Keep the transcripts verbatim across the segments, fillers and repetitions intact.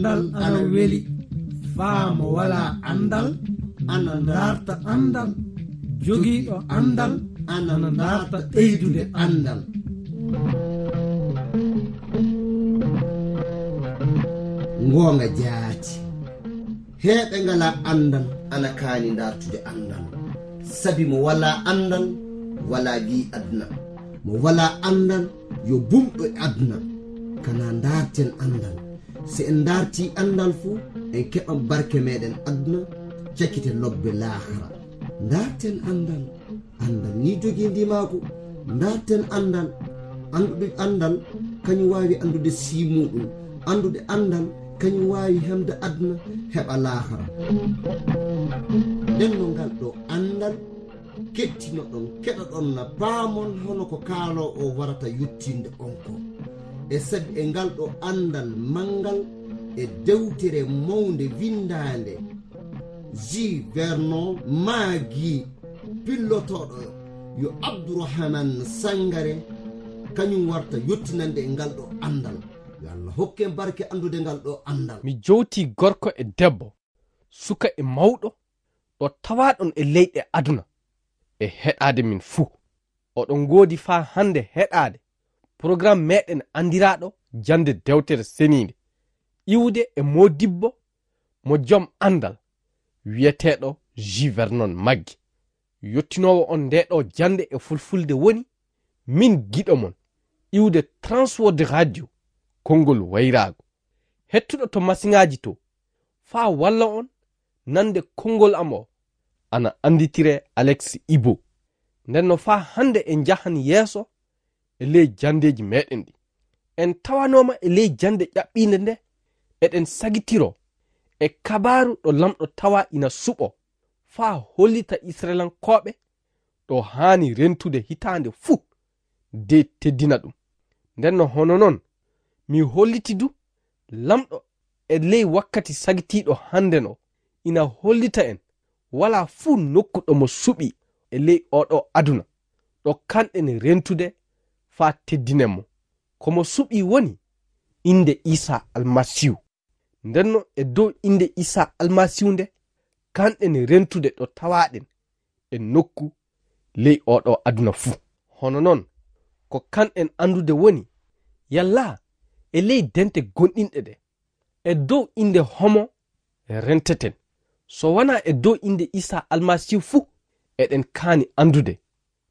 Andal ana weli, faa mo walaa andal ana ndaarta andal, jogiiɗo andal ana ndaarta ɓeydude andal. Ngoonga jaati. Heɓe ngalaa andal ana kaani ndaartude andal. Sabi mo walaa andal, walaa gi'i aduna. Mo walaa andal, yo bumɗo e aduna. Kana ndaarten andal. Si en ndaartii andal fu, en keɓan barke meɗen aduna, cakite lobbe laahara. Ndaarten andal. Andal ni jogii ndimaagu. Ndaarten andal. Anndude andal, kañum waawi anndude sii muɗum. Anndude andal, kañum waawi hemde aduna, heɓa laahara. Nden no ngal ɗo andal kettinoɗon, keɗoɗon na paamon hono ko kaaloo o warata yettinde on ko. E sabi e ngal ɗo andal manngal e dewtere mawnde winndaande J. Vernon Maggi, pillotooɗo yo Abdourahmane Sangare, kañum warta yettinande e ngal ɗo andal. Yo Allah hokken barke anndude ngal ɗo andal. Mi jowtii gorko e debbo, suka e mawɗo, ɗo tawaaɗon e leyɗe aduna, e heɗaade min fuu. Oɗon ngoodi faa hannde heɗaade porogaram meɗen anndiraaɗo Jannde Dewtere Seniinde, iwde e moodibbo mo jom anndal, wiyeteeɗo J. Vernon Maggi. Yottinoowo on ndee ɗoo jannde e fulfulde woni min giɗo mon, iwde Transworld Radio, konngol wayraagu. Hettuɗo to masiŋaaji to, faa walla on nande konngol am o, ana annditiree Alex Ibo. Nden no faa hannde en njahan yeeso e ley janndeeji meɗen ɗi. En tawanooma e ley jannde ƴaɓɓiinde nde, eɗen sagitiroo e kabaaru ɗo Laamɗo tawaa ina suɓoo faa hollita Israylankooɓe ɗo haani rentude hitaande fuu, de teddina ɗum. Nden no hono non, mi holliti du Laamɗo e ley wakkati sagitiiɗo hannden o, ina hollita en walaa fuu nokku ɗo mo suɓii e ley oo ɗoo aduna, ɗo kanɗen rentude faa teddinen mo. Ko mo suɓii woni innde Iisaa Almasiihu. Nden no e dow innde Iisaa Almasiihu nde, kanɗen rentude ɗo tawaaɗen e nokku ley oo ɗoo aduna fuu. Hono non, ko kanɗen anndude woni, yalla e ley dente gonɗinɗe ɗe, e dow innde homo renteten. So wanaa e dow innde Iisaa Almasiihu fuu, eɗen kaani anndude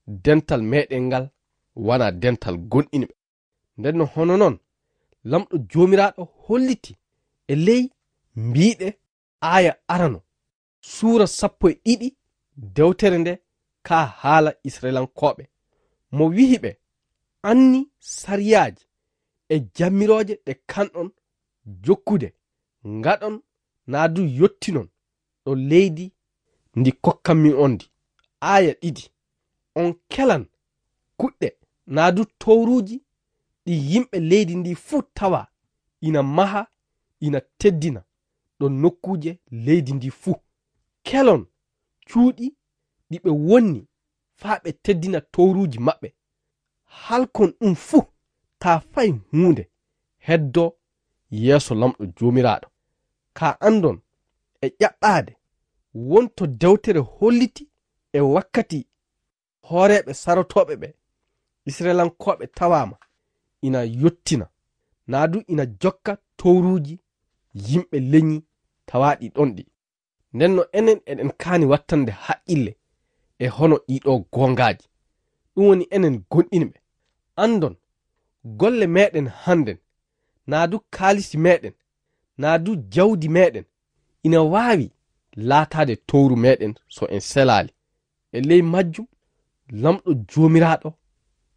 dental meɗen ngal wanaa dental gonɗinɓe. Nden no hono non, Laamɗo Joomiraaɗo holliti e ley mbiiɗe aaya arano, suura sappo e ɗiɗi dewtere nde ka haala Israylankooɓe. Mo wi'i ɓe, anni sariyaaji e jammirooje ɗe kanɗon jokkude, ngaɗon naa du yottinon ɗo leydi ndi kokkanmi on ndi. Aaya ɗiɗi, on kelan kuɗɗe naa du towruuji ɗi yimɓe leydi ndi fuu tawa ina maha, ina teddina ɗo nokkuuje leydi ndi fuu. Kelon cuuɗi ɗi ɓe wonni faa ɓe teddina towruuji maɓɓe. Halkon ɗum fuu, taa fay huunde heddoo yeeso Laamɗo Joomiraaɗo. Kaa anndon e ƴaɓɓaade won to dewtere holliti e wakkati hooreeɓe sarotooɓe ɓe, Israylankooɓe tawaama ina yottina, naa du ina jokka towruuji yimɓe lenyi tawaaɗi ɗon ɗi. Nden no enen eɗen kaani wattande haqqille e hono ɗii ɗoo goongaaji. Ɗum woni enen gonɗinɓe. Anndon, golle meɗen hannden, naa du kaalisi meɗen, naa du jawdi meɗen, ina waawi laataade towru meɗen so en selaali. E ley majjum, Laamɗo Joomiraaɗo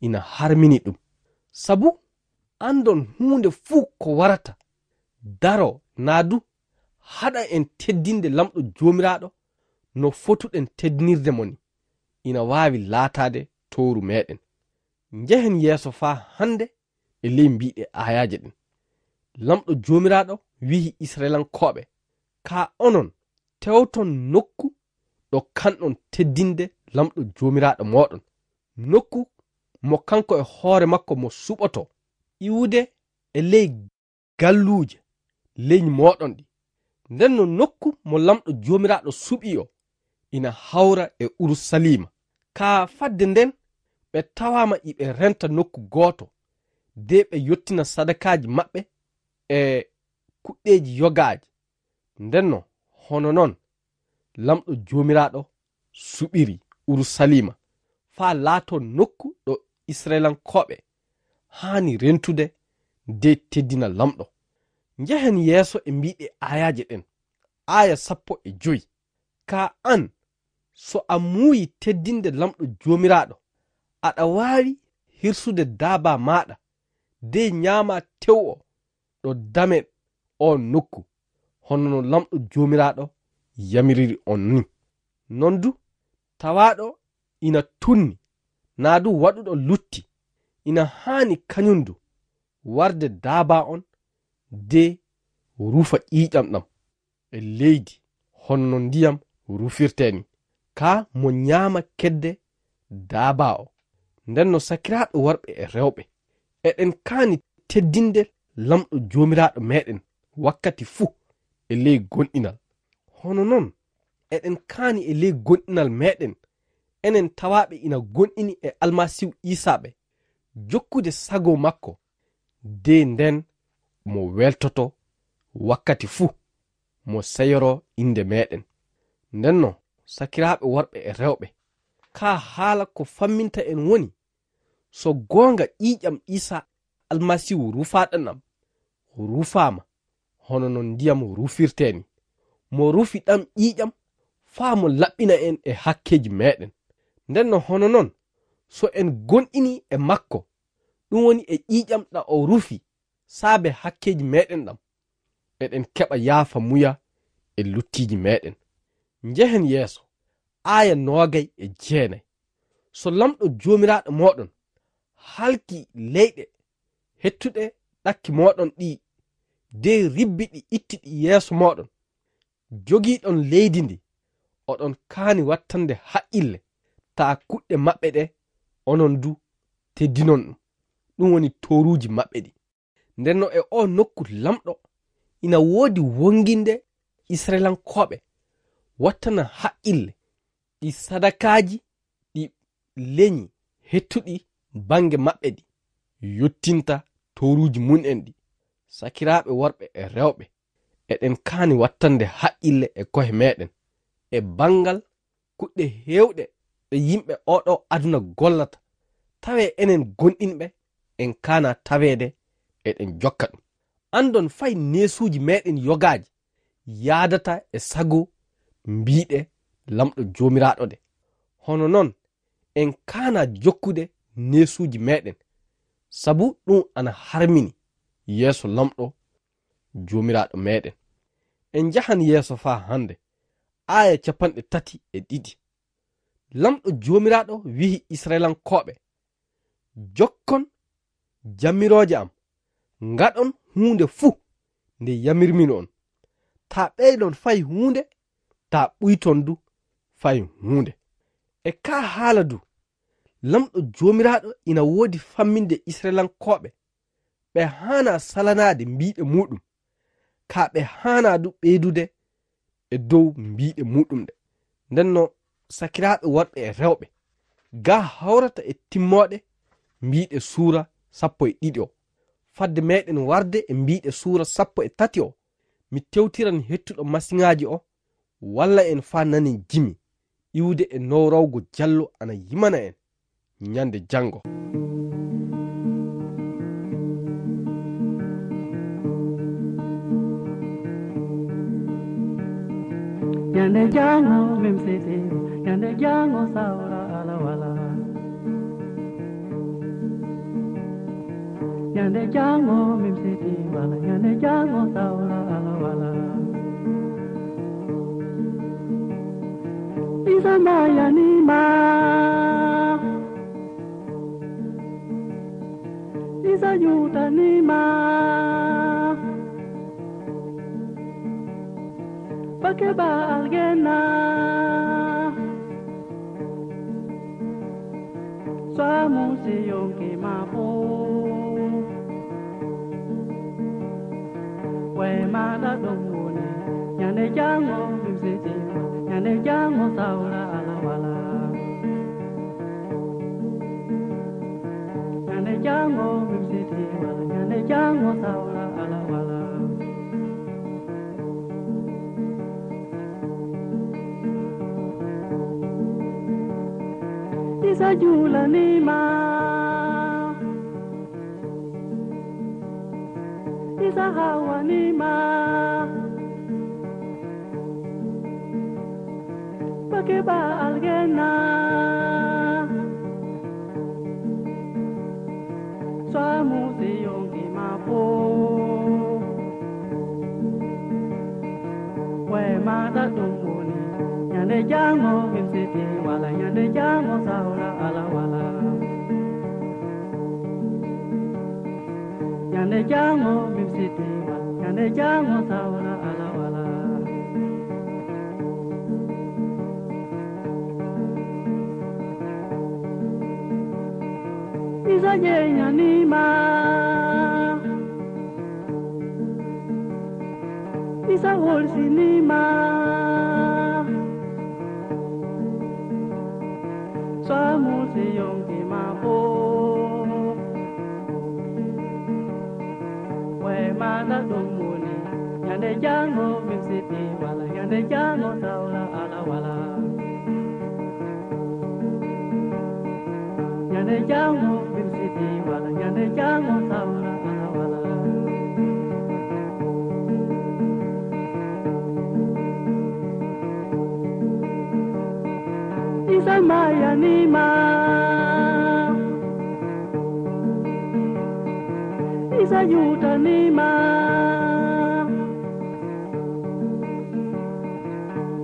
ina harmini ɗum. Sabu anndon huunde fuu ko warata, daroo naa du haɗa en teddinde Laamɗo Joomiraaɗo no fotuɗen teddinirde mo ni, ina waawi laataade towru meɗen. Njehen yeeso faa hannde e ley mbiiɗe aayaaje ɗen. Laamɗo Joomiraaɗo wi'i Israylankooɓe, kaa onon tewton nokku ɗo kanɗon teddinde Laamɗo Joomiraaɗo mooɗon, nokku mo kanko e hoore makko mo suɓoto, iwude e ley galluuje leñi mooɗon ɗi. Nden no nokku mo Laamɗo Joomiraaɗo suɓi o ina hawra e Urusaliima. Kaa fadde nden ɓe tawaama iɓe renta nokku gooto, de ɓe yottina sadakaaji maɓɓe e kuɗɗeeji yogaaji. Ndenno hono non Laamɗo Joomiraaɗo suɓiri Urusaliima faa laatoo nokku ɗo Isra'ilankooɓe haani rentude de teddina Laamɗo. Njehen yeeso e mbiiɗe aayaaje ɗen. Aaya sappo e joy. Kaa an, so a muuyi teddinde Laamɗo Joomiraaɗo, aɗa waawi hirsude daabaa maaɗa de ñaamaa tew o ɗo dame oon nokku, hono no Laamɗo Joomiraaɗo yamiriri on ni. Non du, tawaaɗo ina tunni, naa du waɗuɗo lutti, ina haani kañum du warde daabaa on de rufa ƴiiƴam ɗam e leydi, hono no ndiyam rufirtee ni. Kaa mo ñaama kedde daabaa o. Nden no sakiraaɓe worɓe e rewɓe, eɗen kaani teddinde Laamɗo Joomiraaɗo meɗen wakkati fuu e ley gomɗinal. Hono non, eɗen kaani e ley gomɗinal meɗen, enen tawaaɓe ina gomɗini e Almasiihu Iisaa ɓe, jokkude sago makko, de nden mo weltoto wakkati fuu, mo seyoroo innde meɗen. Ndenno, sakiraaɓe worɓe e rewɓe, kaa haala ko famminta en woni, so goonga ƴiiƴam Iisaa Almasiihu rufaaɗam ɗam rufaama, hono no ndiyam rufirtee ni. Mo rufi ɗam ƴiiƴam faa mo laɓɓina en e hakkeeji meɗen. Ndenno hono non, so en gomɗini e makko, ɗum woni e ƴiiƴam ɗam o rufi saabe hakkeeji meɗen ɗam, eɗen keɓa yaafa muya e luttiiji meɗen. Njehen yeeso, aaya noogay e jeenay. So Laamɗo Joomiraaɗo mooɗon halki leyɗe hettuɗe ɗakki mooɗon ɗi, de ribbi ɗi, itti ɗi yeeso mooɗon, jogiiɗon leydi ndi, oɗon kaani wattande haqqille, taa kuɗɗe maɓɓe ɗe, onon du teddinon ɗum. Ɗum woni tooruuji maɓɓe ɗi. Ndenno e oo nokku Laamɗo ina woodi wonnginde Isra'ilankooɓe wattana haqqille ɗi sadakaaji ɗi leñi hettuɗi bannge maɓɓe ɗi yottinta tooruuji mum en ɗi. Sakiraaɓe worɓe e rewɓe, eɗen kaani wattande haqqille e ko'e meɗen e banngal kuɗɗe heewɗe ɗe yimɓe oo ɗoo aduna gollata, tawee enen gomɗinɓe en kaana taweede eɗen jokka ɗum. Anndon fay neesuuji meɗen yogaaji yaadata e sago mbiiɗe Laamɗo Joomiraaɗo ɗe. Hono non, en kaana jokkude neesuuji meɗen, sabu ɗum ana harmini yeeso Laamɗo Joomiraaɗo meɗen. En njahan yeeso faa hannde, aaya capanɗe tati e ɗiɗi. Laamɗo Joomiraaɗo wi'i Isra'ilankooɓe, "Jokkon jamirooje am, ngaɗon huunde fuu nde yamirmi on. Taa ɓeydon fay huunde, taa ɓuyton du fay huunde." E kaa haala du, Laamɗo Joomiraaɗo ina woodi famminde Isra'ilankooɓe, ɓe haanaa salanaade mbiiɗe muuɗum, kaa ɓe haanaa du ɓeydude e dow mbiiɗe muuɗum ɗe. Ndenno, sakiraaɓe worɓe e rewɓe, gaa hawrata e timmooɗe mbiiɗe suura sappo e ɗiɗi o. Fadde meɗen warde e mbiiɗe suura sappo e tati o, mi tewtiran hettuɗo masiŋaaji o, walla en faa nanen jimi, iwde e nowrawgo jallo ana yimana en ñande janngo. Ñande janngo min siti, ñande janngo sawra alawala. Ñande janngo min siti wala, ñande janngo sawra alawala. Isa mbayani ma. Isa yutani ma. Bakeba algena. Swamu se yonke mapo. Way maɗa ɗum woni, ñande jango min siti, ñande jango sawla ala wala. Ñande jango min siti wala, ñande jango sawla ala wala. Isa julanima. Isa hawanima. Bakeba algena. Swamu si yonki mapo. Way maɗa ɗum woni, ñande jango min siti wala, ñande jango sawla ala wala. Ñande jango min siti wala, ñande jango sawla ala wala. Isa jeñanima. Isa wolsinima. Samu si yonki mako. Way maɗa ɗum woni. Ñande jango min siti wala. Ñande jango sawla ala wala. Ñande jango min siti wala. Ñande jango sawla ala wala. Isa mayanima. Isa yutanima.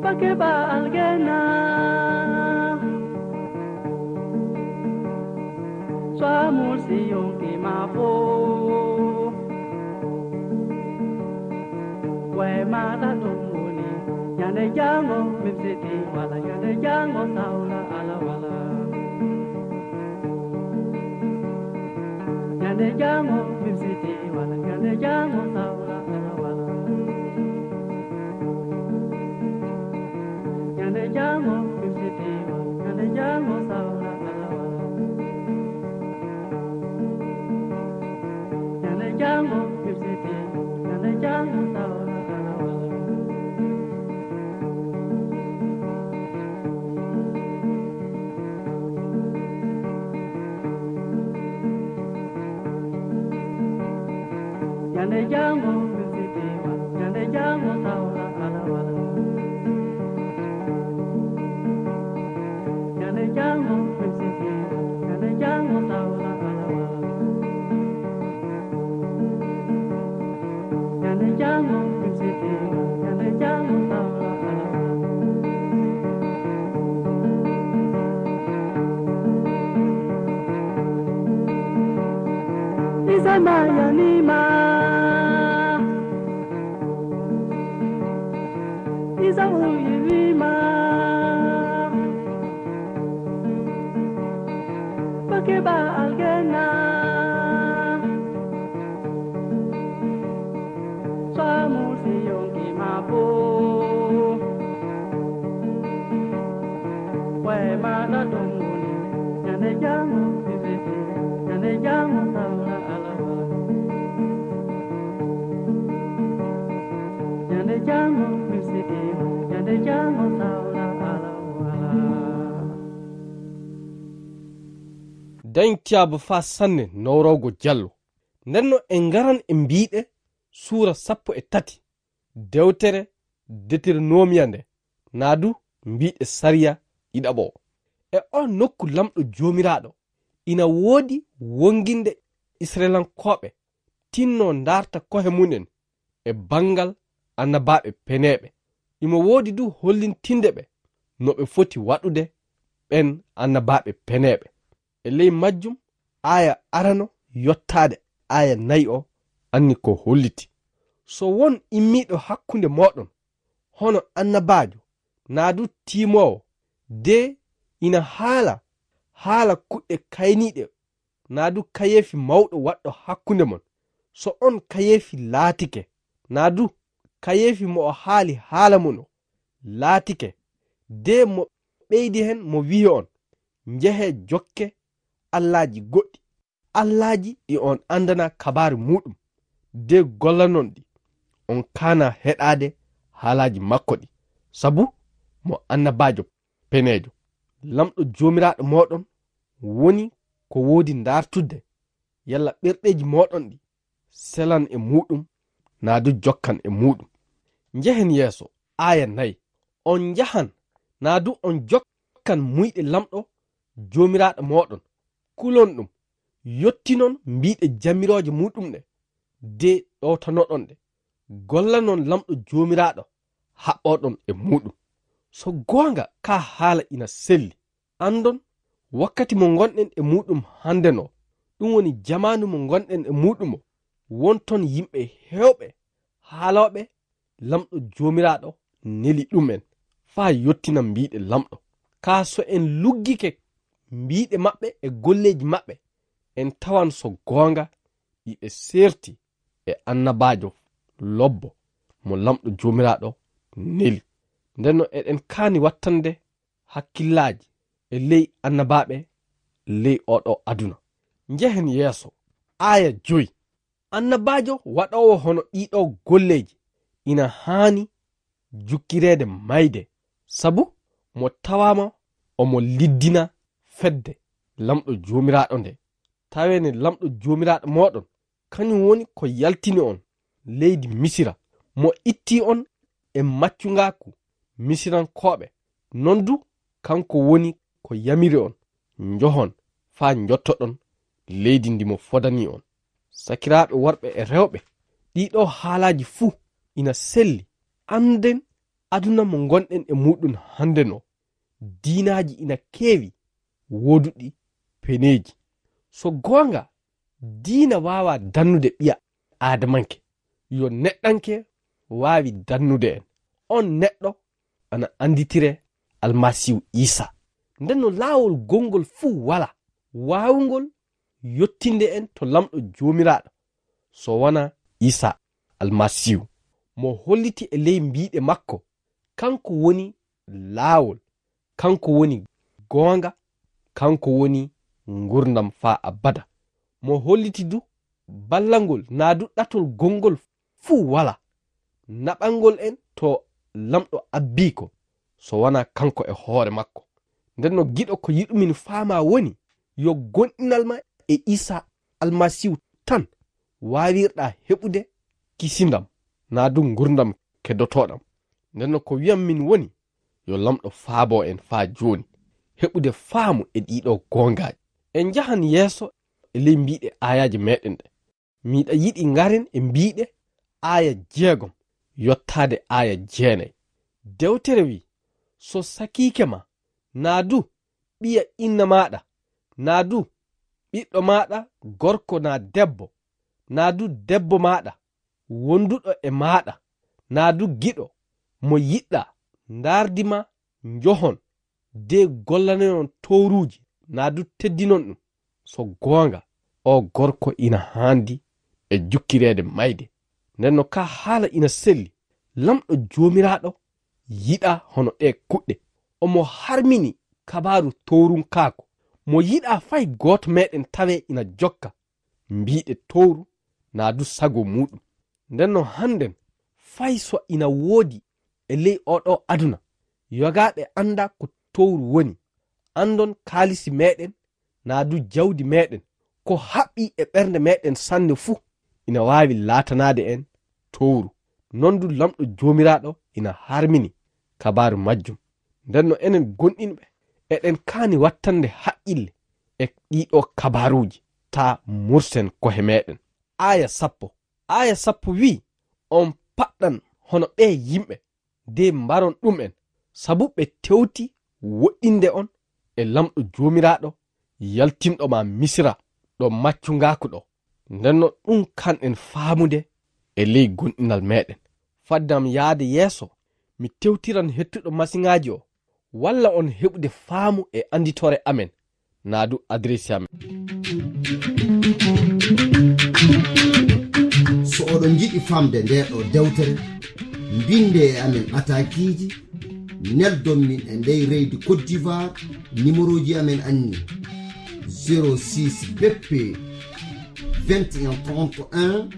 Bakeba algena. Swamul si yonki mafo. Way maɗa ɗum woni. Ñande jango min siti wala, ñande jango sawla ala wala. Ñande jango min siti wala, ñande jango sawla ala wala. Ñande jango min siti wala, ñande jango sawla ala wala. Ñande jango min siti wala, ñande jango sawla ala wala. Ñande jango min siti wala, ñande jango sawla ala wala. Ñande jango min siti wala, ñande jango sawla ala wala. Ñande jango min siti wala, ñande jango sawla ala wala. Isa mayanima. Isa uyinima. Bakeba algena. Samu si yonki mafo. Way maɗa ɗum woni. Ñande jango min siti, ñande jango sawla ala wala. Ñande jango min siti, ñande jango sawla ala wala. Dañtiyaabu faa sanne nowroogo jallo. Ndenno en ngaran e mbiiɗe suura sappo e tati, dewtere Deteronomiya nde, naa du mbiiɗe sariya ɗiɗaɓo o. E oo nokku Laamɗo Joomiraaɗo ina woodi wonnginde Isra'ilankooɓe tinno ndaarta ko'e mum en e banngal annabaaɓe peneeɓe. Imo woodi du hollintinde ɓe no ɓe foti waɗude ɓeen annabaaɓe peneeɓe. E ley majjum, aaya arano yottaade aaya nayi o anni ko holliti. So won immiiɗo hakkunde mooɗon, hono annabaajo, naa du tiimoowo, de ina haala haala kuɗɗe kayniiɗe, naa du kayeefi mawɗo waɗɗo hakkunde mon, so oon kayeefi laatike, Naa du kayeefi mo o haali haala mon o laatike, de mo ɓeydi hen mo wi'i on, "Njehee jokke allaaji goɗɗi, allaaji ɗi on anndana kabaaru muuɗum, de gollanon ɗi, on kaana heɗaade haalaaji makko ɗi, sabu mo annabaajo peneejo. Lamɗo Joomiraaɗo mooɗon woni ko woodi ndaartudde, yalla ɓerɗeeji mooɗon ɗi selan e muuɗum, naa du jokkan e muuɗum." Njehen yeeso, aaya nayi. On njahan, naa du on jokkan muyɗe Lamɗo Joomiraaɗo mooɗon, kulon ɗum, yottinon mbiiɗe jamirooje muuɗum ɗe, de ɗowtanoɗon ɗe. Gollanon Lamɗo Joomiraaɗo haɓɓoɗon e muuɗum. So goonga ka haala ina selli, anndon wakkati mo ngonɗen e muuɗum hannden o, ɗum woni jamaanu mo ngonɗen e muuɗum o, won ton yimɓe heewɓe haalooɓe Lamɗo Joomiraaɗo neli ɗum'en faa yottina mbiiɗe Lamɗo. Kaa so en luggike mbiiɗe maɓɓe e golleeji maɓɓe, en tawan so goonga iɓe seerti e annabaajo lobbo mo Lamɗo Joomiraaɗo neli. Nden no eɗen kaani wattande hakkillaaji e ley annabaaɓe ley oo ɗoo aduna. Njehen yeeso. Aaya joy. Annabaajo waɗoowo hono ɗiɗo golleeji ina haani jukkireede mayde, sabu mo tawaama omo liddina fedde Lamɗo Joomiraaɗo nde. Tawene Lamɗo Joomiraaɗo mooɗon, kañum woni ko yaltini on leydi Misira, mo itti on e maccungaaku Misirankooɓe. Non du, kanko woni ko yamiri on, njohon faa njottoɗon leydi ndi mo fodani on. Sakiraaɓe worɓe e rewɓe, ɗiɗo haalaaji fuu ina selli. Annden aduna mo ngonɗen e muuɗum hannden o, diinaaji ina keewi wooduɗi peneeji. So goonga, diina waawaa dannude ɓiya Aadamanke. Yo neɗɗanke waawi dannude en. On neɗɗo ana annditire Almasiihu Iisaa. Nden no laawol gongol fuu walaa waawungol yottinde en to Lamɗo Joomiraaɗo so wanaa Iisaa Almasiihu, mo holliti e ley mbiiɗe makko, kanko woni laawol, kanko woni goonga, kanko woni ngurndan faa abada. Mo holliti du ballangol naa du ɗatol gongol fuu walaa naɓangol en to Lamɗo abbii ko, so wanaa kanko e hoore makko. Nden no giɗo ko yiɗumin faamaa woni yo gonɗinal ma e Iisaa Almasiihu tan waawirɗaa heɓude kisindam naa du ngurndan kedotooɗam. Nden no ko wi'ammin woni yo Lamɗo faaboo en faa jooni heɓude faamu e ɗiɗo goongaaji. En njahan yeeso e ley mbiiɗe aayaaje meɗen ɗe. Miɗa yiɗi ngaren e mbiiɗe aaya jeegom yottaade aaya jeenay. Dewtere wi'i, "So sakiike ma, naa du ɓiya inna maaɗa, naa du ɓiɗɗo maaɗa gorko naa debbo, naa du debbo maaɗa wonduɗo e maaɗa, naa du giɗo mo yiɗɗaa ndaardi ma njohon, de gollanoyon towruuji, naa du teddinon ɗum. So goonga, o gorko ina haandi e jukkireede mayde." Nden no ka haala ina selli, Lamɗo Joomiraaɗo yiɗaa hono ɗee kuɗɗe. Omo harmini kabaaru towrunkaaku. Mo yiɗaa fay gooto meɗen tawee ina jokka mbiiɗe towru naa du sago muuɗum. Nden no hannden, fay so ina woodi e ley oo ɗoo aduna yogaaɓe anndaa ko towru woni, anndon kaalisi meɗen naa du jawdi meɗen, ko haɓɓii e ɓernde meɗen sanne fuu, ina waawi laatanaade en towru. Non du Lamɗo Joomiraaɗo ina harmini kabaaru majjum. Nden no enen gonɗinɓe, eɗen kaani wattande haqqille e ɗiɗo kabaaruuji, taa mursen kohe meɗen. Aaya sappo. Aaya sappo wi'i, "On paɗɗan hono ɓee yimɓe, de mbaron ɗum'en, sabu ɓe tewti woɗɗinde on e Lamɗo Joomiraaɗo, yaltinɗo ma Misira, ɗo maccungaaku ɗo." Nden no ɗum kanɗen faamude e ley gonɗinal meɗen. Fadde am yaade yeeso, mi tewtiran hettuɗo masiŋaaji o, walla on heɓude faamu e annditoore amen, naa du adresi amen. So oɗo On njiɗi famde nde ɗo dewtere? Mbinde e amen atakiiji, neldon min e ndey reydi Côte d'Ivoire, numerooji amen anni: zéro six B P vingt et un trente et un,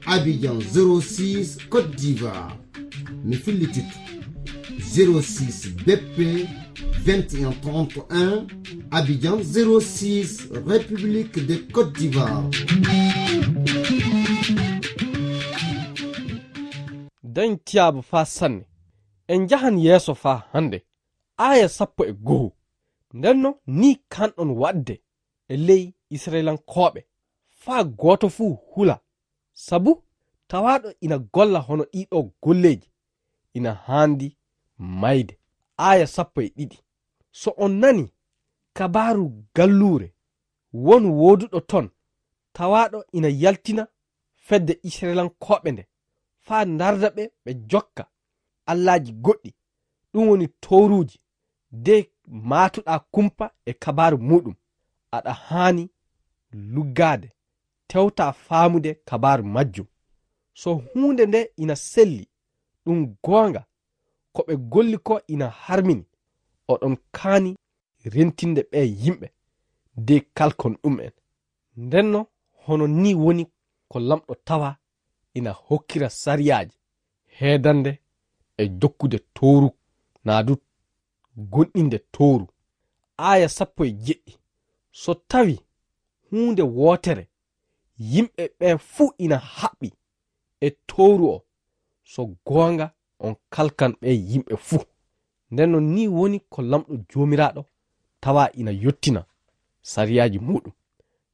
Abidjan zéro six, Côte d'Ivoire. Mi fillititto: zéro six B P vingt et un trente et un, Abidjan zéro six, République de Côte d'Ivoire. Dañ tiyaabu faa sanne. En njahan yeeso faa hannde. Aaya sappo e go'o. Ndenno nii kanɗon waɗde e ley Isra'ilankooɓe, faa gooto fuu hula. Sabu tawaaɗo ina golla hono ɗii ɗoo golleeji, ina haandi mayde. Aaya sappo e ɗiɗi. So on nanii kabaaru galluure, won wooduɗo ton, tawaaɗo ina yaltina fedde Isra'ilankooɓe nde, faa ndarda ɓe ɓe jokka allaaji goɗɗi, ɗum woni tooruuji, de maatuɗaa kumpa e kabaaru muuɗum, aɗa haani luggaade, tewtaa faamude kabaaru majjum. So huunde nde ina selli, ɗum goonga, ko ɓe golli ko ina harmini, oɗon kaani rentinde ɓee yimɓe, de kalkon ɗum'en. Ndenno hono nii woni ko Laamɗo tawaa ina hokkira sariyaaji, heedande e jokkude tooru, naa du goonɗinde tooru. Aaya sappo e jeɗɗi. So tawi huunde wootere yimɓe ɓee fuu ina haɓɓi e tooru o, so goonga on kalkan ɓee yimɓe fuu. Ndenno nii woni ko Laamɗo Joomiraaɗo tawaa ina yottina sariyaaji muuɗum.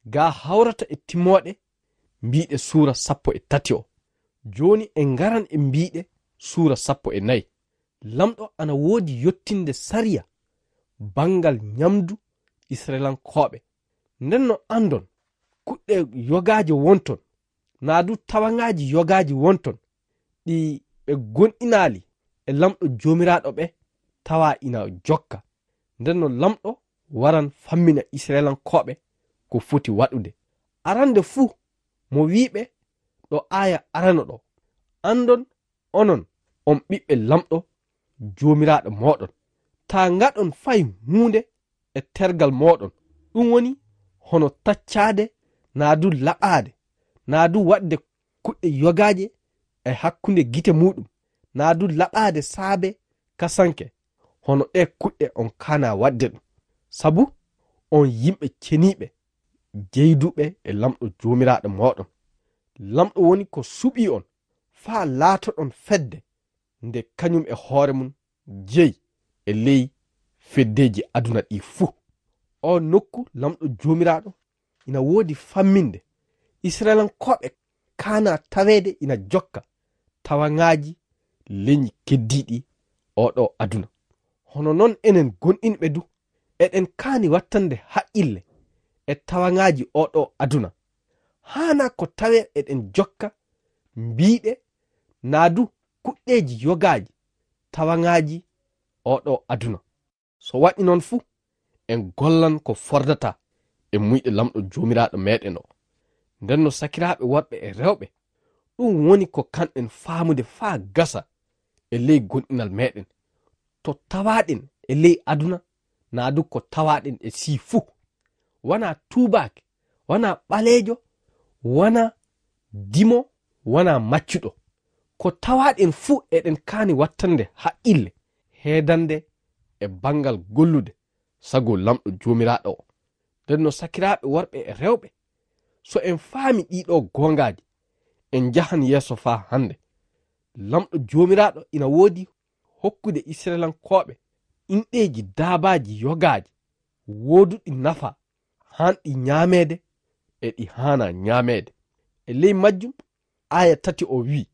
Gaa hawrata e timmooɗe mbiiɗe suura sappo e tati o. Jooni en ngaran e mbiiɗe suura sappo e nayi. Laamɗo ana woodi yottinde sariya banngal nyamdu Isra'ilankooɓe. Ndenno anndon, kuɗɗe yogaaje wonton, naa du tawaŋaaji yogaaji wonton, ɗi ɓe goonɗinaali e Laamɗo Joomiraaɗo ɓe, tawa ina jokka. Ndenno Laamɗo waran fammina Isra'ilankooɓe ko foti waɗude. Arande fuu mo wi'i ɓe ɗo aaya arano ɗo: Anndon onon on ɓiɓɓe Laamɗo Joomiraaɗo mooɗon. Taa ngaɗon fay huunde e tergal mooɗon, ɗum woni hono taccaade, naa du laɓaade, naa du waɗde kuɗɗe yogaaje e hakkunde gite muuɗum, naa du laɓaade saabe kasanke, hono ɗee kuɗɗe on kaanaa waɗde ɗum. Sabu on yimɓe ceniiɓe, jeyduɓe e Laamɗo Joomiraaɗo mooɗon. Laamɗo woni ko suɓii on faa laatoɗon fedde nde kañum e hoore mum jeyi e ley feddeeji aduna ɗii fuu. Oo nokku Laamɗo Joomiraaɗo ina woodi famminde. Isra'ilankooɓe kaanaa taweede ina jokka tawaŋaaji leñi keddiiɗi oo ɗoo aduna. Hono noon enen goonɗinɓe du, eɗen kaani wattande haqqille e tawaŋaaji oo ɗoo aduna. Haanaa ko tawee eɗen jokka mbiiɗe naa du kuɗɗeeji yogaaji tawaŋaaji oo ɗoo aduna. So waɗi noon fu, en gollan ko fordata e muyɗe Laamɗo Joomiraaɗo meeɗen o. Nden no sakiraaɓe worɓe e rewɓe, ɗum woni ko kanɗen faamude faa gasa e ley goonɗinal meeɗen. To tawaaɗen e ley aduna, naa du ko tawaaɗen e sii fuu. Wanaa tuubaake, wanaa ɓaleejo, wanaa dimo, wanaa maccuɗo. Ko tawaaɗen fuu eɗen kaani wattande haqqille, heedande e banngal gollude sago Laamɗo Joomiraaɗo o. Nden no sakiraaɓe worɓe e rewɓe, so en faami ɗii ɗoo goongaaji, en njahan yeeso faa hannde. Laamɗo Joomiraaɗo ina woodi hokkude Isra'ilankooɓe inɗeeji daabaaji yogaaji wooduɗi nafa, haanɗi ñaameede e ɗi haanaa ñaameede. E ley majjum, aaya tati o wi'i: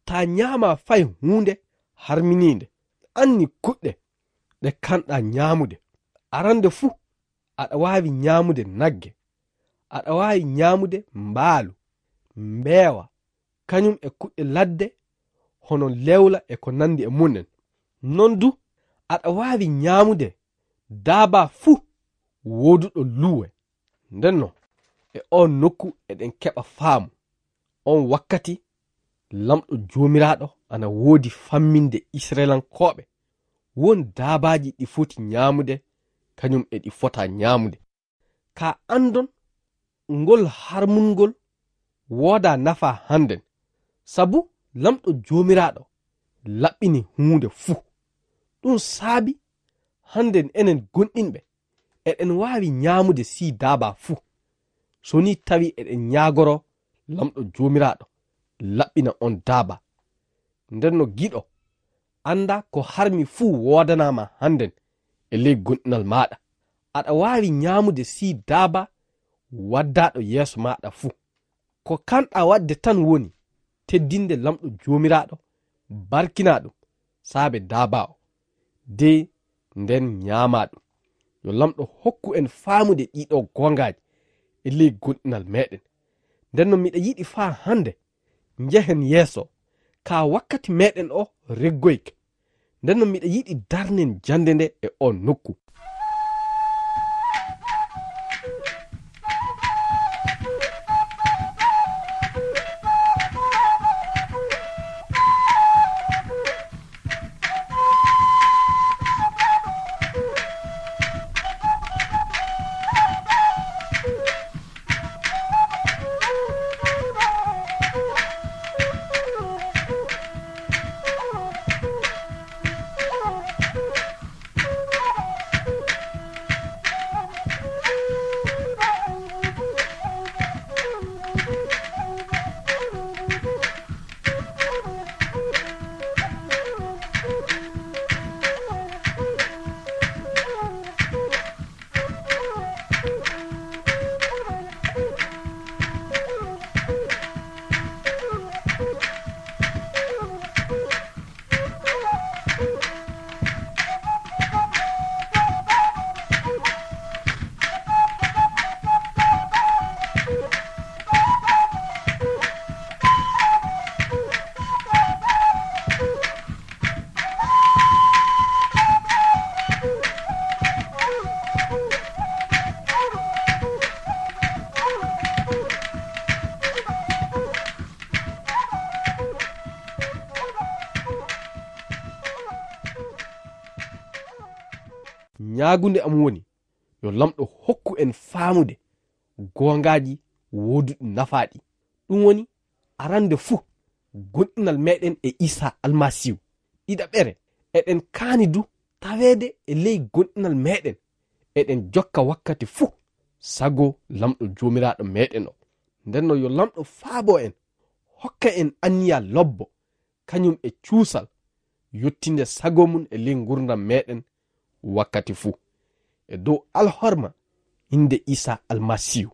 "Taa ñaamaa fay huunde harminiinde. Anni kuɗɗe ɗe kanɗaa ñaamude. Arande fuu, aɗa waawi ñaamude nagge, aɗa waawi ñaamude mbaalu, mbeewa, kañum e kuɗɗe ladde hono lewla e ko nanndi e mum'en. Noon du, aɗa waawi ñaamude daabaa fuu wooduɗo luwe." Nden no, e oon nokku eɗen keɓa faamu. Oon wakkati, Lamɗo Joomiraaɗo ana woodi famminde Isra'ilankooɓe won daabaaji ɗi foti ñaamude, kañum e ɗi fota ñaamude. Ka anndon ngol harmungol wooda nafa hannden, sabu Lamɗo Joomiraaɗo laɓɓini huunde fuu. Ɗum saabi hannden enen gonɗinɓe, eɗen waawi ñaamude sii daaba fuu. So nii tawi eɗen ñaagoro Lamɗo Joomiraaɗo laɓɓina on daaba. Nden no giɗo, annda ko harmi fuu woodanaama hannden e ley gonɗinal maaɗa. Aɗa waawi ñaamude sii daaba waddaaɗo yeeso maaɗa fuu. Ko kanɗa waɗde tan woni teddinde Lamɗo Joomiraaɗo, barkina ɗum saabe daaba o, de nden ñaama ɗum. Yo Lamɗo hokku en faamude ɗiɗo goongaaji e ley gonɗinal meɗen. Nden no miɗa yiɗi faa hannde njehen yeeso, ka wakkati meɗen o reggoyke. Nden no miɗa yiɗi darnen jannde nde e o nokku. Ñaagunde am woni, yo Lamɗo hokku en faamude goongaaji wooduɗi nafaaɗi. Ɗum woni arande fuu gonɗinal meɗen e Iisaa Almasiihu. Ɗiɗaɓere, eɗen kaani du taweede e ley gonɗinal meɗen, eɗen jokka wakkati fuu sago Lamɗo Joomiraaɗo meɗen o. Nden no yo Lamɗo faabo en, hokka en anniya lobbo, kañum e cuusal, yottinde sago mum e ley ngurdam meɗen wakkati fuu. E dow alhorma innde Iisaa Almasiihu.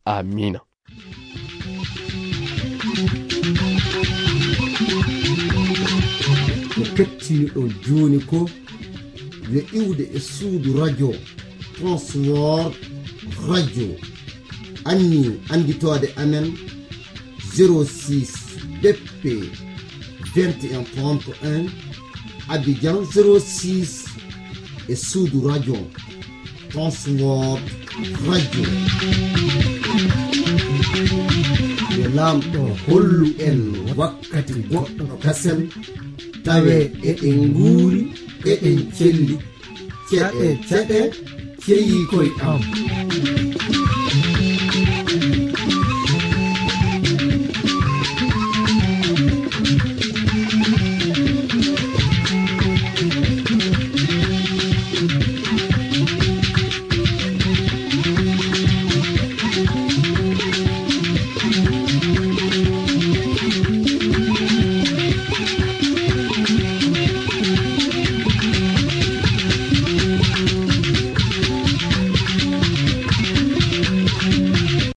Aamiina. Ko kettiniɗon jooni ko yo iwde e suudu radio Transworld Radio. Anni annditoode amen zéro six B P vingt et un trente et un, Abidjan zéro six, e suudu radio Transworld Radio. Yo Laamɗo hollu en wakkati goɗɗo kasen, tawe eɗen nguuri, eɗen celli. Ceɗe, ceɗe, ceyi koy am.